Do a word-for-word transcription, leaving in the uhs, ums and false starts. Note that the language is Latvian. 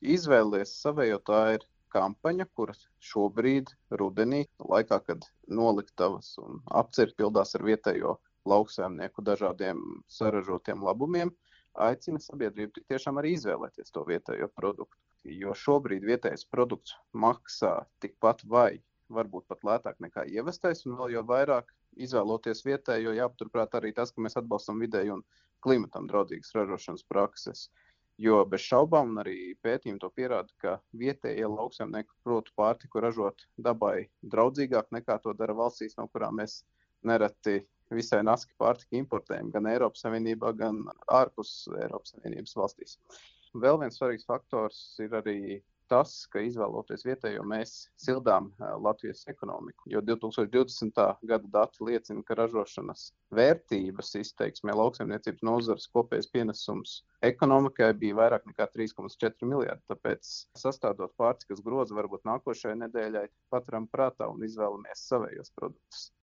Izvēlies savējo, tā ir kampaņa, kuras šobrīd rudenī, laikā, kad noliktavas un apcirkņi pildās ar vietējo lauksaimnieku dažādiem saražotiem labumiem, aicina sabiedrību tik tiešām arī izvēlēties to vietējo produktu. Jo šobrīd vietējais produkts maksā tikpat vai varbūt pat lētāk nekā ievestais, un vēl jau vairāk izvēloties vietējo, jāpaturprāt arī tas, ka mēs atbalstam vidēju un klimatam draudzīgas ražošanas prakses. Jo bez šaubām, un arī pētījumi to pierāda, ka vietējie lauksaimnieki prot pārtiku ražot dabai draudzīgāk nekā to dara valstīs, no kurām mēs nereti visai naski pārtiku importējam gan Eiropas Savienībā, gan ārpus Eiropas Savienības valstīs. Vēl viens svarīgs faktors ir arī tas, ka izvēloties vietējo, mēs sildām Latvijas ekonomiku, jo divi tūkstoši divdesmitā gada dati liecina, ka ražošanas vērtības izteiksmē lauksaimniecības nozares kopējais pienesums ekonomikai bija vairāk nekā trīs komats četri miljardi. Tāpēc sastādot pārtikas grozu varbūt nākošajai nedēļai paturam prātā un izvēlamies savējos produktus.